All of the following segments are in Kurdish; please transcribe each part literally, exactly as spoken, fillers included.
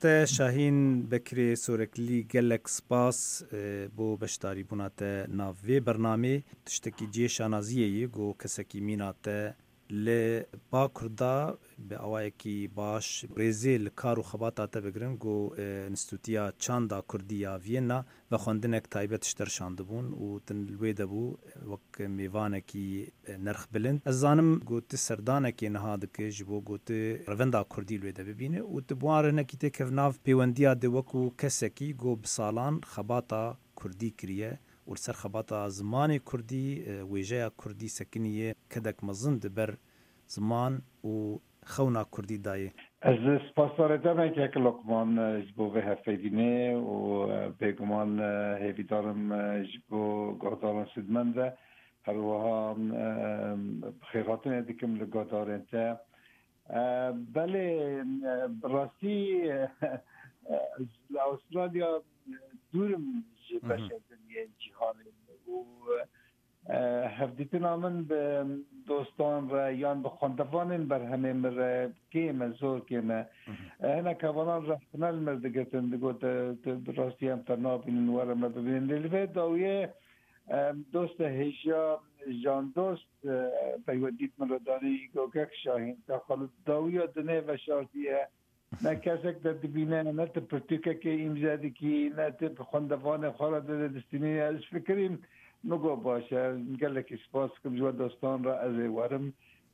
Te Şahîn Bekirê Soreklî, gelek spas, e, bo beşdarîbûna te nav vê bernamê. Tiştekî cihê şanaziyê ye ku kesekî mîna te li Bakur de bi awayekî baş rêzê li kar û xebata te bigirin ku, e, Înstîtûtiya Çanda Kurdî ya Viyena vexwendinek taybet ji te re şandibûn û tu li wê de bû wek mêvanekî nerxbilind. Ez zanim ku tu serdanekê niha dike ji bo ku tu revenda kurdî li wê de bibîne û tu bi wan re hinekî têkev nav pêwendiya de wekû kesekî ku bi salan xebata kurdî kiriye û li ser xebata zimanê kurdî, e, wêjeya kurdî sekiniye kedek mezin di ber ziman û xewna kurdî dayê. Ez spasdarê te me kek Lokman, e, ji bo vê hevpeyvînê û, e, bêguman, e, hêvîdarim, e, ji bo guhdaran sûdmend be. Her wiha, e, bi xêrhatinê dikim li guhdarên te. E, belê, e, bi rastî, e, ez li Avustralya, e, dûr im ji Hı hı. beşê din yên cîhanê û, e, hevdîtina min bi dostan re yan bi xwendevanên berhemê min re kêm e, zor kêm e. Hı hı. E, hinek hevalan rexne li mir digitin, digot, e, tu bi rastî em te nabînin, were me bibînin. Lê li vê dawiyê, e, doste hêja Jan Dost, e, peywendî min re danî, got, Kek Şahîn, te xwe li dawiya dinê veşartiye. Ne kesek te dibîne, ne tu pirtûkekê îmze dikî, ne tu bi xwendevanê xwe re dide distînî. Ez fikirîm, min got, baş e, gelekî spas dikim ji we dostan re, ez ê werim.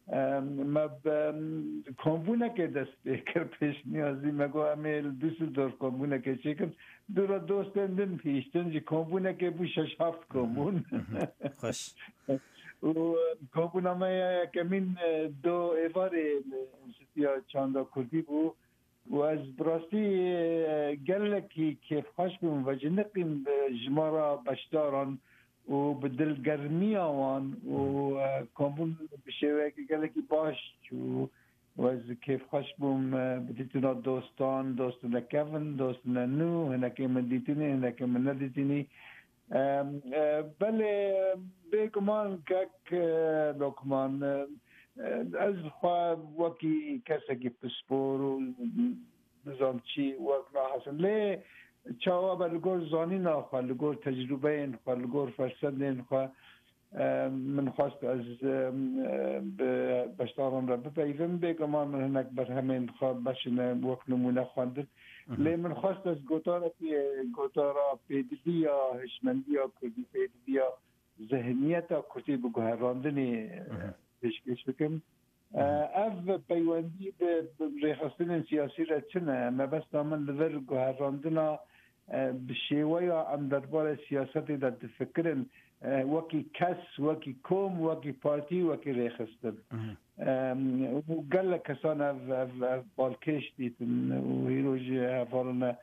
Em, me bi, em, kombûnekê dest pê kir pêşniyazî. Me got, em ê li Düsseldorf kombûnekê çêkin. Dû re dostên din hiştin, ji kombûnekê bû şeş heft kombûn. Xweş. Û kombûna me ya yekemîn, e, do êvarê, e, Înstîtûya Çanda Kurdî bû. Û ez bi rastî, e, gelekî kêfxweş bûm, veciniqîm bi jimara beşdaran û bi dilgermiya wan û, e, kombûn bi şêweyekî gelekî baş çû. Û ez kêfxweş bûm, e, bi dîtina dostan, dostine kevin, dostine nû, hinekê min dîtinî, hinekê min nedîtinî. Em, e, belê, bêguman kek, e, Lokman, e, e, ez xwe wekî kesekî pispor û nizam çi wek nahesin. Lê çawa be li gor zanîna xwe, li gor tecrûbeyên xwe, li gor fersendên xwe, e, min xwest ez, e, e, bi beşdaran re bipeyivim. Bêguman min hinek berhemên xwe beşine wek nimûne xwendin. Mhm. Lê min xwest ez gotarekî, gotara pêdiviya hişmendiya kurdî, pêdiviya zihniyeta kurdî bi guherandinê, e, Mhm. pêşkêş bikim. E, Mhm. ev peywendî bi, bi rêxistinên siyasî re çi ne? Mebesta min li vir guherandina, e, bi şêweya em derbarê siyasetê de difikirin, e, wekî kes, wekî kom, wekî partî, wekî rêxistin. Mhm. Em, û gelek kesan ev, ev, ev balkêş dîtin û hîro jî hevalin e,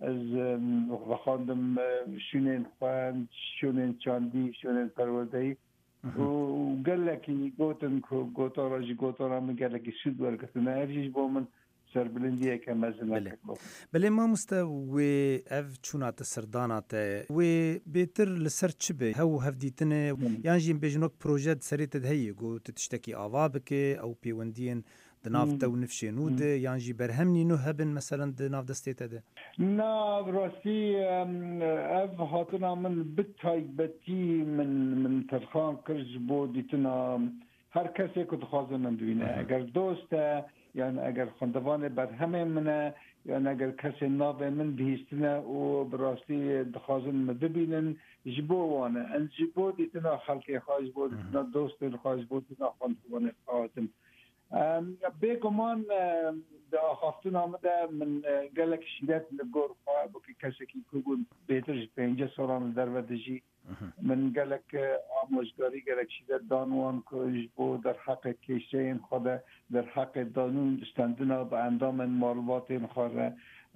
ez, em, vexandim, e, şûnên xwe, şûnên çandî, şûnên perwerdeyî. Mhm. Û gelekî gotin ku gotara, ji gotara min gelekî sûd wergirtine. Ev jî ji bo min serbilindiyeke mezin e. Belê. Keko. Belê mamoste, wê ev çûna te, serdana te, wê bêtir li ser çi be? Hew û hevdîtine, Hmm. yan jî em bêjin wek proje di serê te de heye, ku tu tiştekî ava bike, ew pêwendiyên di nav Hmm. te û nifşên nû Hmm. de, yan jî berhemnî nû hebin, meselen di nav destê te de? Na, bi rastî, em, ev hatina min bi taybetî min, min terxan kir ji bo dîtina her kesê ku dixwaze min bibîne. Mhm. Eger dost e, yan eger xwendevanê berhemên min e, yan eger kesên navê min bihîstine û bi rastî dixwazin min bibînin, ji bo wan e. Ez ji bo dîtina xelkê xwe, ji bo Mhm. dîtina dostên xwe, ji bo dîtina xwendevanê xwe hatim. Em, bêguman, em, di axaftina min de min, e, gelek şîret li gor xwe, wekî kesekî ku bû bêtir ji pêncî salan li derve dijî, Mhm. min gelek, e, amojgarî, gelek şîret dan wan ku ji bo derheqê kêşeyên xwe de, derheqê danû û stendina bi endamên malbatên xwe re,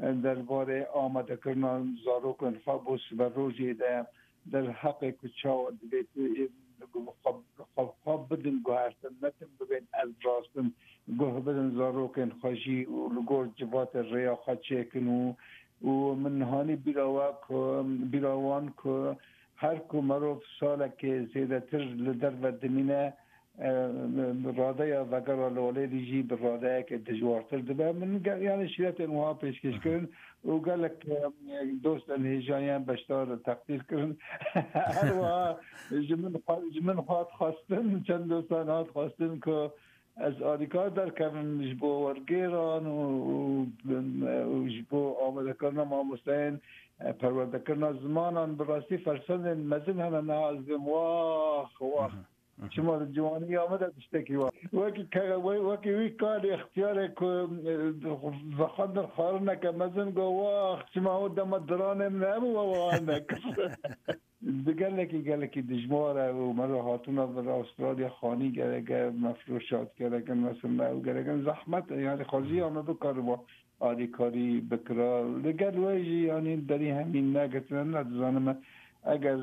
e, derbarê amadekirina zarokên xwe bo siberojê de, derheqê ku çawa divê tu, e, xwe, xwe, xwe bidin guhertin, netin bibên ev rastin, guh bidin zarokên xwe jî û li gor civatê rêya xwe çêkin û, û min hanî bîra we ku, bîra wan ku her ku merov salekê zêdetir li derve dimîne, e, radeya vegera li Olêrî jî bi radeyeke dijwartir dibe. Min ge-, yani şîretên wiha pêşkêş kirin û gelek, e, dostên hêjayan beşdar teqdîr kirin. Her wiha ji min xwe, ji min xwe hat xwestin, çend dostan hat xwestin ku ez alîkar derkevim ji bo wergêran û, û, û ji bo amadekirina mamosteyên, e, perwerdekirina zimanan. Bi rastî fersendên mezin hene niha ez dibêm, wax, wax. Çima di ciwaniya me de tiştekî wa. Wekî ke-, we-, wekî wî karê extiyarê ku, e, vexwendin xwarineke mezin got, wax, çima ew dema diranê min hebû, we wiha nekir. Di gelekî, gelekî dijwar e û me re hatûna vir Astralya xanî gereke, me firoşat gereke, me sirme ew gereke. Zehmet e, yani xweziya me bikariba alîkarî bikira. Li gel we jî, yanî derî hemî negirtine, ne dizanim e. Eger,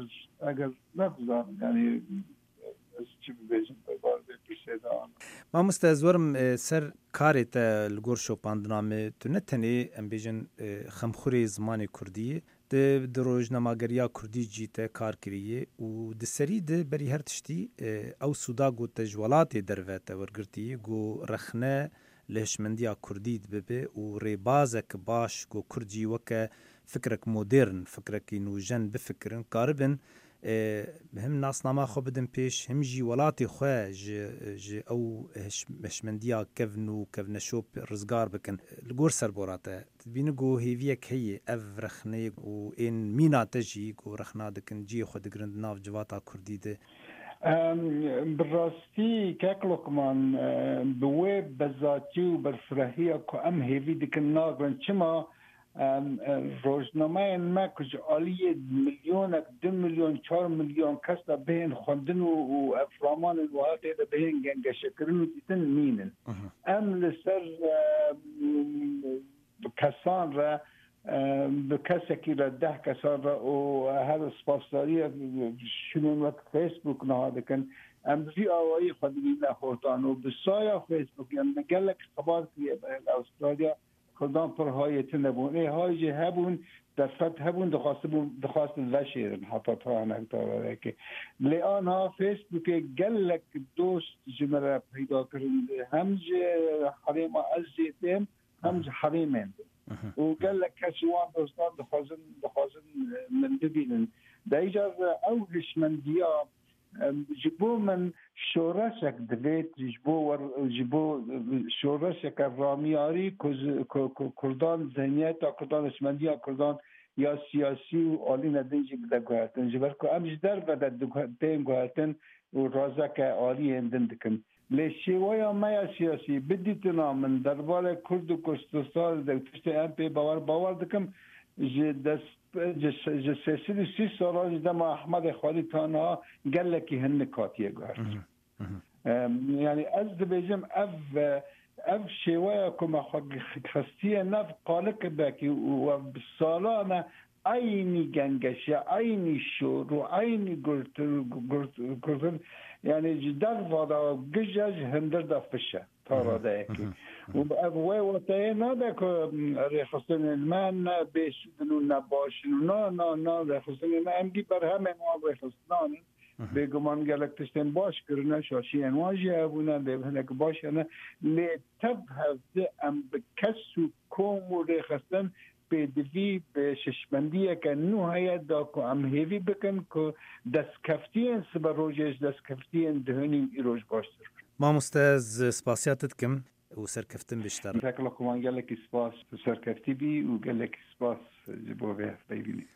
eger ne dizanim, yanî ez çi bibêjim, derbarê vê pirsê de an. Mamoste, ez werim, e, ser karê te li gor şopandina me. Tu ne tenê, em bêjin, e, xemxurê zimanê kurdî yî. Di, di rojnamageriya kurdî jî te kar kirî yê û di serî de berî her tiştî, e, ew sûda ku te ji welatê derve te wergirtî, ku rexne li hişmendiya kurdî dibibe û rêbazek baş ku kurd jî weke fikrek modern, fikrekî nûjen bifikirin, karibin, e, him nasnama xwe bidin pêş, him jî welatê xwe ji, ji ew hiş-, hişmendiya kevn û kevneşop rizgar bikin. Li gor serbora te, tu dibînî ku hêviyek heye ev rexneyê û ên mîna te jî ku rexna dikin, cihê xwe digirin di nav civata kurdî de? Em, bi rastî, kek Lokman, e, bi wê bezatî û berfirehîya ku em hêvî dikin nagrin. Çima? Em, e, rojnameyên me ku ji aliyê milyonek, du milyon, çar milyon kes de bihên xwendin û, û ev ramanên wiha tê de bihên gengeşekirin û dîtin nînin. Em li ser, e, kesan re, e, bi kesekî re, deh kesan re û her spasdariyê şûnên wek Facebook niha dikin. Em bi vî awayî xwe dibîne hotan û bi saya Facebook, em gelek xebat kiriye li Astralya, Kurdan pir hayê tune bûn. Ê hay jî hebûn, derfet hebûn, dixwastibûn, dixwastin veşêrin heta tanek davereke. Lê anha Facebookê gelek dost ji me re peyda kirin. Hem ji herêma ez jê têm, hem ji herêmên din. Û gelek kes ji wan dostan dixwazin, dixwazin, e, min bibînin. De îcar ew hişmendiya, em, ji bo min şoreşek divêt, ji bo wer-, ji bo, e, şoreşeke ramiyarî ku ji, ku, ku Kurdan, zihniyeta Kurdan, hişmendiya Kurdan ya siyasî û alîne din jî bide guhertin. Ji ber ku em ji derve de diguhe-, tên guhertin û razeke aliyên din dikin. Lê şêweya me ya siyasî, bidîtina min derbarê Kurd û Kurdistanê de tiştê em pê bawer, bawer dikim, ji dest, ji, ji sê sed û sî salan ji dema Ehmedê Xwelî ta niha gelekî hinik hatiye guhertin. Em, yani ez dibêjim ev, ev şêweya ku me xwe xistiye nav qalik belkî û ev bi salan e eynî gengeşe, eynî şor û eynî gurtir, gurt-, gurtir, yani ji derva de gije, ji hindir de fiş e, ta radeyekî. Û ev wê wateyê nade ku, em, rêxistinên me ne bêsûd in û ne baş in û na, na, na, rêxistinên me em dî berhemên wan rêxistinan in. Bêguman gelek tiştên baş kirine, şaşiyên wan jî hebûne, lê hinek baş hene. Lê tev hevdi em bi kes û kom û rêxistin pêdivî bi şişmendiyeke nû heye da ku em hêvî bikin ku destkeftiyên siberojê ji destkeftiyên duhunî û îroj baştir bin. Mamoste, ez spasiya te dikim û serkeftin bi ji te re. Kek Lokman, gelekî spas, tu serkeftî bî û gelekî spas ji bo vê hevpeyvînê.